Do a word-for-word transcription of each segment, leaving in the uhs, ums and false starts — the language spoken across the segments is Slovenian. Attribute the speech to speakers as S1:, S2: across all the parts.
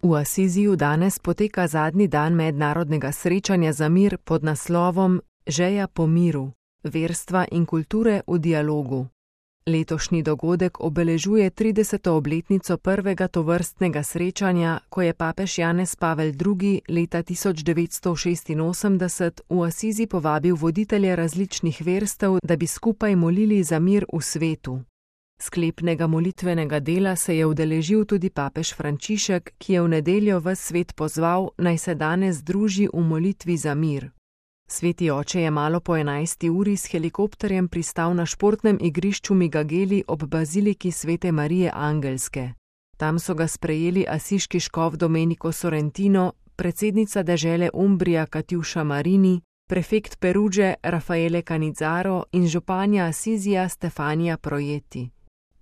S1: V Asiziju danes poteka zadnji dan mednarodnega srečanja za mir pod naslovom Žeja po miru, verstva in kulture v dialogu. Letošnji dogodek obeležuje trideseto obletnico prvega tovrstnega srečanja, ko je papež Janez Pavel drugi. leta tisoč devetsto šestinosemdeset v Asizi povabil voditelje različnih verstev, da bi skupaj molili za mir v svetu. Sklepnega molitvenega dela se je udeležil tudi papež Frančišek, ki je v nedeljo ves svet pozval, naj se danes združi v molitvi za mir. Sveti oče je malo po enajsti uri s helikopterjem pristal na športnem igrišču Migageli ob baziliki Svete Marije Angelske. Tam so ga sprejeli asiški škof Domenico Sorrentino, predsednica dežele Umbrija Katjuša Marini, prefekt Perudže Raffaele Canizzaro in županja Asizija Stefanija Projeti.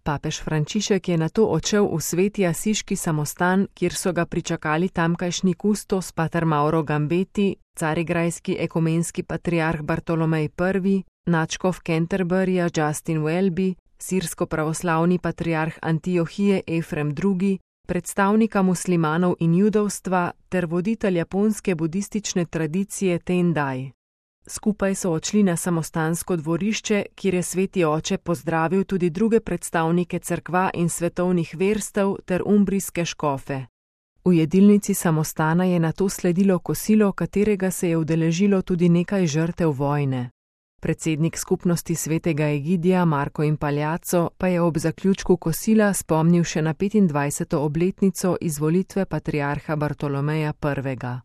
S1: Papež Frančišek je nato odšel v sveti asiški samostan, kjer so ga pričakali tamkajšnji kustos pater Mauro Gambeti, carigrajski ekumenski patriarh Bartolomej prvi, nadškof Canterburyja Justin Welby, sirsko-pravoslavni patriarh Antiohije Efrem drugi, predstavnika muslimanov in judovstva ter voditelj japonske budistične tradicije Tendai. Skupaj so odšli na samostansko dvorišče, kjer je sveti oče pozdravil tudi druge predstavnike cerkva in svetovnih verstev ter umbrijske škofe. V jedilnici samostana je nato sledilo kosilo, katerega se je udeležilo tudi nekaj žrtev vojne. Predsednik skupnosti svetega Egidija Marko Impagliazzo pa je ob zaključku kosila spomnil še na petindvajseto obletnico izvolitve patriarha Bartolomeja prvega.